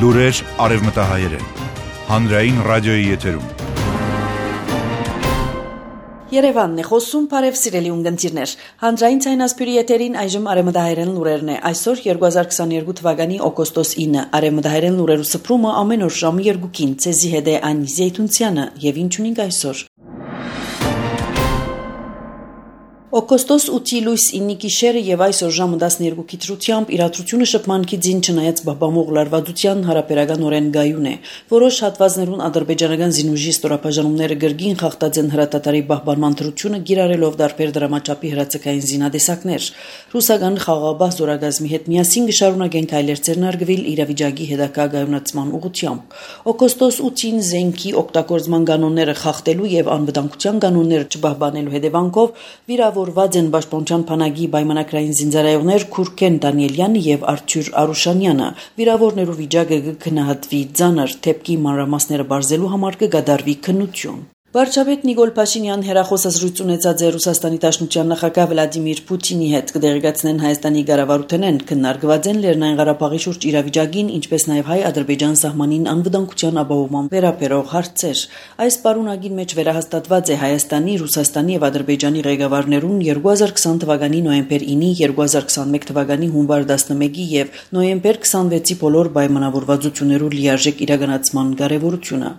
Լուրեր արևմտահայերեն։ Հանրային ռադիոյի եթերում։ Երևանն է խոսում, բարև սիրելի ունգընտիրներ։ Հանրային ցայնասպյուրի եթերին այժմ արևմտահայերեն լուրերն է։ Այսօր 2022 թվականի օգոստոս 9 արևմտահայերեն լուրերու սփռումը ամեն օր ժամը 2-ին ցեզի հետ է Անի Զեյթունցյանը եւ ինչ ունենք այսօր։ Օգոստոս 8-ի լույս 9-ի գիշերը եւ այսօր ժամը 12-ի դրությամբ իրադրությունը շփմանքի ձին չնայած բաբամող լարվածության հարաբերականորեն գայուն է։ Որոշ հատվածներուն ադրբեջանական զինուժի ստորապաժանումները գրգին խախտած են հրատատարի պահպանման դրությունը գիրառելով դարբեր դրամաչափի հրացակային զինադեսակներ։ Ռուսական խաղաղապահ զորագազմի հետ միասին կշարունակեն քայլեր ձեռնարկվել իրավիճակի հետագա գայունացման ուղղությամբ։ Օգոստոս 8-ին զենքի օգտագործման կանոնները խախտելու եւ անվտանգության կանոնները չպահպանելու հետևանքով վիրավորված են Պաշտպանության բանակի պայմանագրային զինծառայողներ Քուրքեն Դանիելյանը եւ Արթուր Արուշանյանը։ Վիրավորներու վիճակը կգնահատվի ծանր, թեփքի մանրամասները բարձելու համար կգադարվի քննություն։ Վարչապետ Նիկոլ Փաշինյան հերախոսազրույց ունեցած է Ռուսաստանի Դաշնության նախագահ Վլադիմիր Պուտինի հետ կդեղեկացնեն Հայաստանի ղեկավարութենեն քննարկված են Լեռնային Ղարաբաղի շուրջ իրավիճակին, ինչպես նաև հայ-ադրբեջան սահմանին անվտանգության ապահովման վերաբերող հարցեր։ Այս պարունակին մեջ վերահաստատված է Հայաստանի, Ռուսաստանի եւ Ադրբեջանի ղեկավարներուն 2020 թվականի նոյեմբեր 9-ի, 2021 թվականի հունվար 11-ի եւ նոյեմբեր 26-ի բոլոր պայմանավորվածություններու լիարժեք իրականացման կարեւորությունը։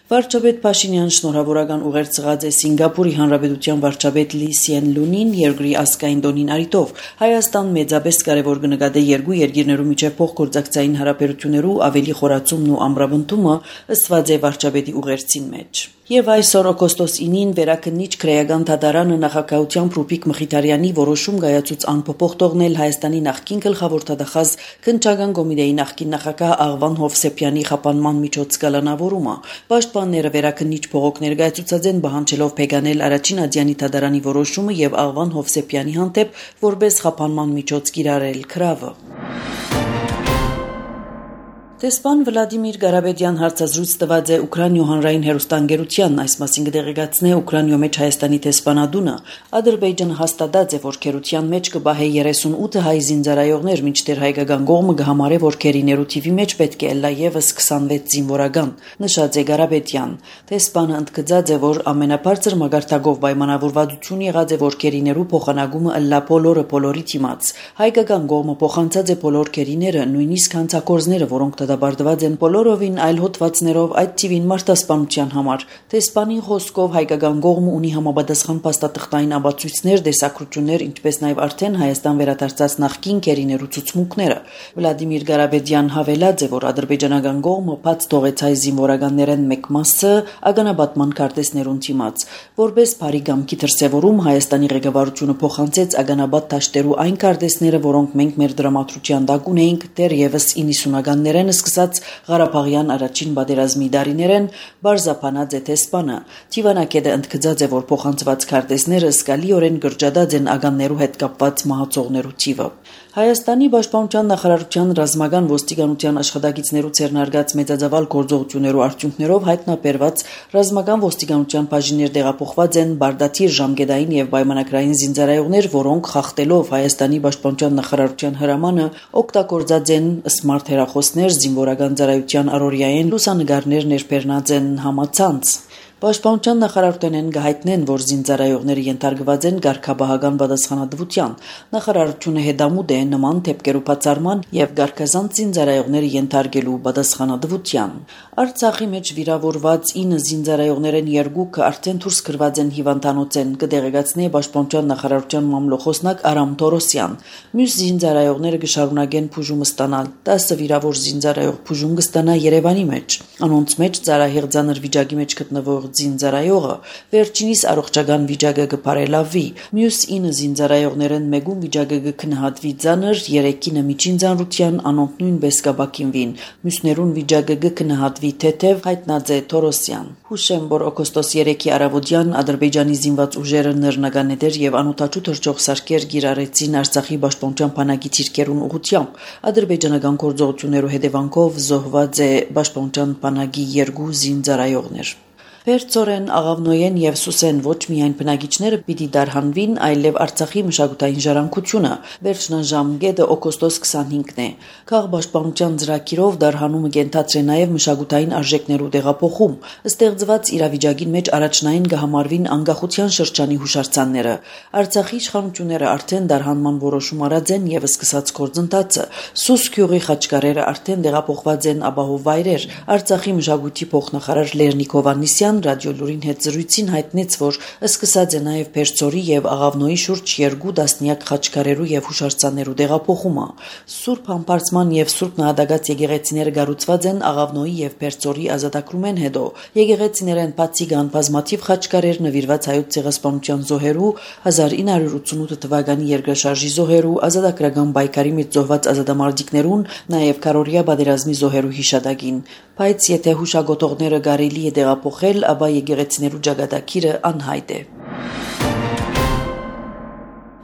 Վարչապետ Փաշինյան շնորհավորական ուղերձ է Սինգապուրի Հանրապետության վարչապետ Լի Սիեն Լունին երկրի ազգային տոնին արիտով Հայաստան մեծապես կարևոր կնկատե երկու երկիրներու միջև փոխգործակցային հարաբերություններու ավելի խորացումն ու ամրապնդումը ըստված է վարչապետի ուղերձին մեջ։ Եվ այսօր օգոստոս 9-ին վերաքննիչ քրեական դատարանը նախագահությամբ Ռուբիկ Մխիթարյանի որոշում գայացուց անփոփոխ թողնել Հայաստանի նախկին գլխավոր դատախազ քննչական կոմիտեի նախկին նախագահ Աղվան Հովսեփյանի խափանման միջոց կալանավորումը։ Պաշտպանները վերաքննիչ բողոք ներկայացուցած են բանջելով փեգանել առաջին ադյանի դատարանի որոշումը եւ Աղվան Հովսեփյանի հանդեպ որպես խափանման միջոց կիրառել քրավը։ Դեսպան Վլադիմիր Ղարաբեդյան հարցազրույց տված է Ուկրաինայ հանրային հեռուստաընկերության, այս մասին կդեղեկացնե Ուկրաինայ մեջ Հայաստանի դեսպանատունը։ Ադրբեջանը հաստատած է, որ քերության մեջ կբահե 38 հայ զինծառայողներ, մինչդեռ հայկական կողմը կհամարե, որ քերիներու թիվի մեջ պետք է լա եւս 26 զինվորական, նշած է Ղարաբեդյան։ Դեսպանը ընդգծած է, որ ամենաբարձր մագարտակով պայմանավորվածություն եղած է, որ քերիներու փոխանակումը լա բոլորի թիմաց։ Հայկական կողմը փոխանցած է բոլոր քերիները, նույնիսկ հանցակորձները, որոնք դատապարտված են բոլորովին այլ հոդվածներով այդ թիվին մարտահրավերության համար։ Դեսպանի խոսքով հայկական կողմը ունի համապատասխան փաստաթղթային ապացույցներ, դեսակրություններ, ինչպես նաև արդեն Հայաստան վերադարձած նախկին քերիներու ցուցմունքները։ Վլադիմիր Ղարաբեդյան հավելած է, որ ադրբեջանական կողմը բաց թողեց հայ զինվորականներեն մեկ մասը ագանաբատման քարտեզներուն թիմաց։ Որպես բարի գամքի դրսևորում Հայաստանի ղեկավարությունը փոխանցեց ագանաբատ դաշտերու այն քարտեզները, որոնք մենք մեր դրամատրության տակ ունեինք դեռևս 90-ականներեն սկսած Ղարաբաղյան առաջին պատերազմի դարիներեն բարձապանած է դեսպանը։ Թիվանակետը ընդգծած է, որ փոխանցված քարտեզները զգալիորեն գրջադած են ագաններու հետ կապված մահացողներու թիվը։ Հայաստանի Պաշտպանության նախարարության ռազմական ոստիկանության աշխատակիցներու ցերնարգած մեծածավալ գործողություններու արդյունքներով հայտնաբերված ռազմական ոստիկանության բաժիններ տեղափոխված են բարդաթիր ժամկետային եւ պայմանագրային զինծառայողներ, որոնք խախտելով Հայաստանի Պաշտպանության նախարարության հրամանը օգտագործած են սմարթ հեռախոսներ, զինվորական ծառայության առօրյային լուսանկարներ ներբեռնած են համացանց։ Պաշտպանության նախարարությունեն գահիտնեն, որ զինծառայողները ենթարկված են ղարքաբահական պատասխանատվության։ Նախարարությունը հետամուտ է նման դեպքերու բացառման եւ ղարքազանց զինծառայողները ենթարկելու պատասխանատվության։ Արցախի մեջ վիրավորված 9 զինծառայողներեն 2-ը արդեն դուրս գրված են հիվանդանոցեն, կդեղեկացնի Պաշտպանության նախարարության մամլոխոսնակ Արամ Թորոսյան։ Մյուս զինծառայողները կշարունակեն բուժում ստանալ։ 10 վիրավոր զինծառայող բուժում կստանա Երևանի մեջ։ Անոնց մեջ ծառահեղ ծանր վիճակի մեջ գտնվող զինծառայողը վերջինիս առողջական վիճակը կբարելավի։ Մյուս 9 զինծառայողներն մեկում վիճակը կգնահատվի ծանր, 3-ը միջին ծանրության, անոնք նույնպես կապակինվին։ Մյուսներուն վիճակը կգնահատվի թեթև, հայտնած է Թորոսյան։ Հուշեմ, որ օգոստոս 3-ի առավոտյան Ադրբեջանի զինված ուժերը նռնականետեր եւ անօթաչու թռչող սարքեր գիրառեցին Արցախի Պաշտպանության բանակի ցիրկերուն ուղղությամբ։ Ադրբեջանական գործողություններու հետևանքով զոհված է Պաշտպանության բանակի 2 զինծառայողներ։ Փերծորեն, Աղավնոյեն եւ Սուսեն ոչ միայն բնակիչները պիտի դարհանվին, այլև Արցախի մշակութային ժառանգությունը։ Վերջնաժամկետը օգոստոս 25-ն է։ Քաղաքապաշտպանության ծրագիրով դարհանումը կենթացրե նաեւ մշակութային արժեքներու տեղափոխում։ Ստեղծված իրավիճակին մեջ առաջնային կհամարվին անկախության շրջանի հուշարձանները։ Արցախի իշխանությունները արդեն դարհանման որոշում արած են եւ սկսած գործընթացը։ Սուս գյուղի խաչկարերը արդեն տեղափոխված են ապահով վայրեր։ Արցախի մշակույթի փոխնախարար Լեռնիկ Հովհաննիսյան Ռադիոլուրին հետ զրույցին հայտնեց, որ սկսած է նաև Փերծորի եւ Աղավնոյի շուրջ 2 դասնյակ խաչկարերու եւ հուշարձաններու տեղափոխումը։ Սուրբ Համբարձման եւ Սուրբ Նահատակած եկեղեցիները կառուցված են Աղավնոյի եւ Փերծորի ազատագրումեն հետո։ Եկեղեցիներեն բացի կան բազմաթիվ խաչկարեր նվիրված հայոց ցեղասպանության զոհերու, 1988 թվականի երկրաշարժի զոհերու, ազատագրական պայքարի մեջ զոհված ազատամարտիկներուն, նաև Քարորիա պատերազմի զոհերու հիշատակին։ Բայց եթե հուշագոտողները կարելի է տեղափոխել, ապա եկեղեցիներու ճակատագիրը անհայտ է։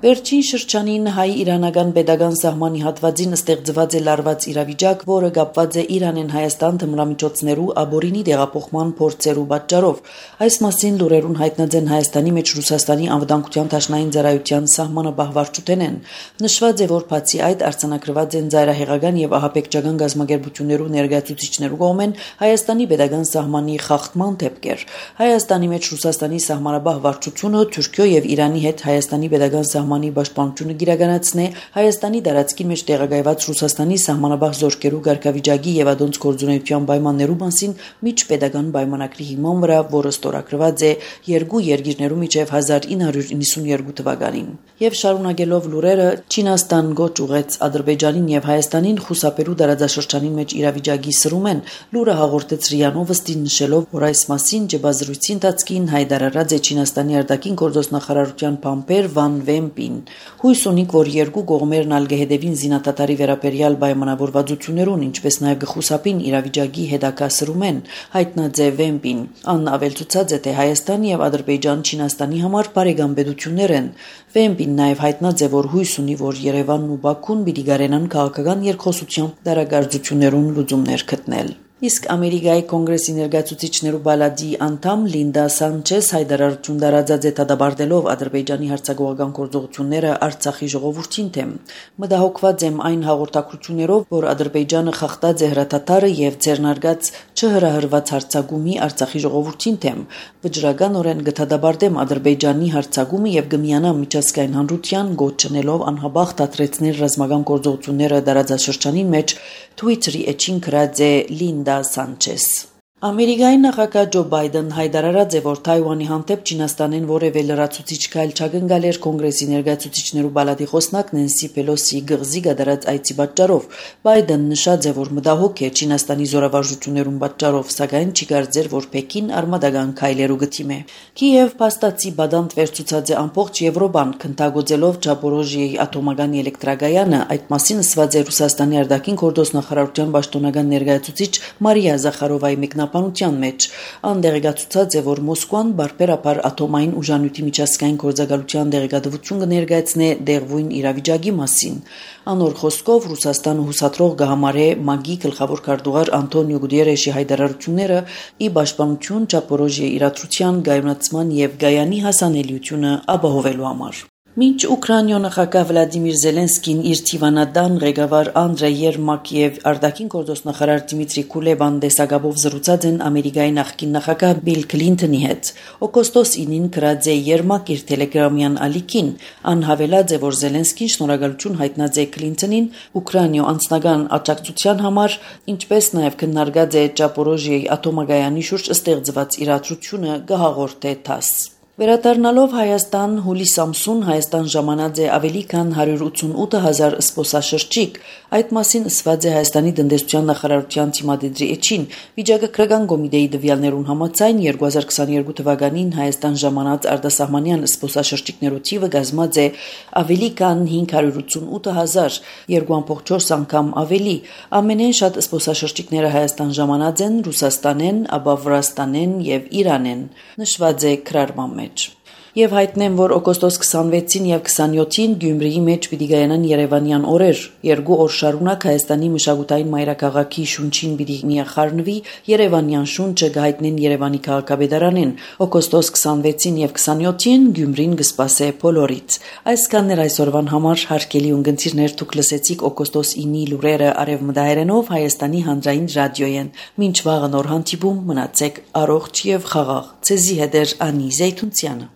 Վերջին շրջանին հայ-իրանական պետական սահմանի հատվածին ստեղծված է լարված իրավիճակ, որը կապված է Իրանեն Հայաստան թմրամիջոցներու ապօրինի տեղափոխման փորձերու պատճառով։ Այս մասին լուրերուն հայտնած են Հայաստանի մեջ Ռուսաստանի անվտանգության դաշնային ծառայության սահմանապահ վարչությունեն։ Նշված է, որ բացի այդ արձանագրված են ծայրահեղական եւ ահաբեկչական գազམ་ագերբություններու ներկայացուցիչներու կողմեն Հայաստանի պետական սահմանի խախտման դեպքեր։ Հայաստանի մեջ Ռուսաստանի սահմանապահ վարչությունը Թուրքիո եւ Իրանի հետ Հայաստանի պետական սահմանի պաշտպանությունը գիրականացնե Հայաստանի տարածքին մեջ տեղակայված Ռուսաստանի սահմանապահ զորքերու ղեկավարի եւ ադոնց գործունեության պայմաններու մասին միջպետական պայմանագրի հիման վրա, որը ստորագրված է երկու երկիրներու միջև 1992 թվականին։ Եվ շարունակելով լուրերը, Չինաստան գոչ ուղեց Ադրբեջանին եւ Հայաստանին խուսափելու տարածաշրջանի մեջ իրավիճակի սրում են։ Լուրը հաղորդեց ՌԻԱ Նովոստին նշելով, որ այս մասին ջբազրույցի ընթացքին հայտարարած է Չինաստանի արտաքին գործոստ նախարարության փամփեր Վան Վեմպին։ Հույս ունիք, որ երկու կողմերն ալ կհետևին զինադատարի վերաբերյալ պայմանավորվածություններուն, ինչպես նաև կխուսափին իրավիճակի հետագա սրումեն, հայտնած է Վեմպին։ Ան ավելցուցած է, թե Հայաստան եւ Ադրբեջան Չինաստանի համար բարեկամպետություններ են։ Վեմպին նաև հայտնած է, որ հույս ունի, որ Երևանն ու Բաքուն պիտի գարենան քաղաքական երկխոսությամբ դարակարգություններուն լուծումներ գտնել։ Իսկ Ամերիկայի կոնգրեսի ներկայացուցիչներու բալադի անդամ Լինդա Սանչես հայտարարություն տարածած է դադարելով Ադրբեջանի հարձակողական գործողությունները Արցախի ժողովրդին թեմ։ Մտահոգված եմ այն հաղորդակցություններով, որ Ադրբեջանը խախտած է հրաթաթարը եւ ձեռնարկած չհրահրված հարձակումի Արցախի ժողովրդին թեմ։ Վճռականորեն կդադարեմ Ադրբեջանի հարձակումը եւ կմիանամ միջազգային հանրության գոչնելով անհաբախ դադրեցնել ռազմական գործողությունները տարածաշրջանին մեջ Twitter-ի էջին գրած է Լինդա Սանչես։ Ամերիկայի նախագահ Ջո Բայդեն հայտարարած է, որ Թայվանի հանդեպ Չինաստանեն որևէ լրացուցիչ քայլ չկնկալ էր կոնգրեսի ներկայացուցիչներու բալադի խոսնակ Նենսի Պելոսի գղզի գդարած այցի պատճառով։ Բայդեն նշած է, որ մտահոգ է Չինաստանի զորավարժություններուն պատճառով, սակայն չի կարծեր, որ Պեկին արմատական քայլերու գտիմե։ Կիև փաստացի բադանտ վերցուցած է ամբողջ Եվրոպան, քննագործելով Չապորոժիեի ատոմական էլեկտրագայանը, այդ մասին ասված է Ռուսաստանի արտաքին գործոստ նախարարության պաշտոնական ներկայացուցիչ Մարիա Զախարովայի մեկնաբանության մեջ։ Անդերգացուցած է, որ Մոսկվան բարբերաբար ատոմային ուժանյութի միջազգային գործակալության դեղեկատվություն կներկայացնե դեղվույն իրավիճակի մասին։ Անոր խոսքով Ռուսաստանը հուսադրող կհամարե ՄԱԳ-ի գլխավոր քարտուղար Անտոնիո Գուտիերեշի հայտարարությունները ի պաշտպանություն Չապորոժիեի իրադրության կայունացման եւ Գայանի հասանելիությունը ապահովելու համար։ Մինչ Ուկրաինայ նախագահ Վլադիմիր Զելենսկին իր Թիվանադան ղեկավար Անդրեյ Երմակ եւ արտաքին գործոստ նախարար Դիմիտրի Կուլեբան դեսագաբով զրուցած են Ամերիկայի նախկին նախագահ Բիլ Քլինթոնի հետ։ Օգոստոս 9-ին գրած է Երմակ իր տելեգրամյան ալիքին, անհավելած է, որ Զելենսկին շնորհակալություն հայտնած է Քլինթոնին Ուկրաինայ անձնական աջակցության համար, ինչպես նաեւ քննարկած է Չապորոժիեի ատոմագայանի շուրջ ստեղծված իրադրությունը կհաղորդե ՏԱՍՍ։ Վերադառնալով Հայաստան, հուլիս ամսուն Հայաստան ժամանած է ավելի քան 188,000 սպոսաշրջիկ։ Այդ մասին ասված է Հայաստանի տնտեսության նախարարության թիմադեդրի էջին։ Վիճակագրական կոմիտեի տվյալներուն համաձայն 2022 թվականին Հայաստան ժամանած արտասահմանյան սպոսաշրջիկներու թիվը կազմած է ավելի քան 588,000, 2.4 անգամ ավելի։ Ամենեն շատ սպոսաշրջիկները Հայաստան ժամանած են Ռուսաստանեն, ապա Վրաստանեն եւ Իրանեն, նշված է քրարման մեջ։ Եվ հայտնեմ, որ օգոստոս 26-ին եւ 27-ին Գյումրիի մեջ պիտի գայանան Երևանյան օրեր, 2 օր շարունակ Հայաստանի մշակութային մայրաքաղաքի շունչին պիտի միախառնվի Երևանյան շունչը գահիտնեն Երևանի քաղաքապետարանին, օգոստոս 26-ին եւ 27-ին Գյումրին կսպասե բոլորից։ Այսքանն էր այսօրվան համար, հարգելի ունգընտիրներ, դուք լսեցիք օգոստոս 9-ի լուրերը արևմտահայերենով Հայաստանի հանրային ռադիոյեն։ Մինչ վաղը նոր հանդիպում, մնացեք առողջ եւ խաղաղ։ Ցեզի հետ էր Անի Զեյթունցյանը։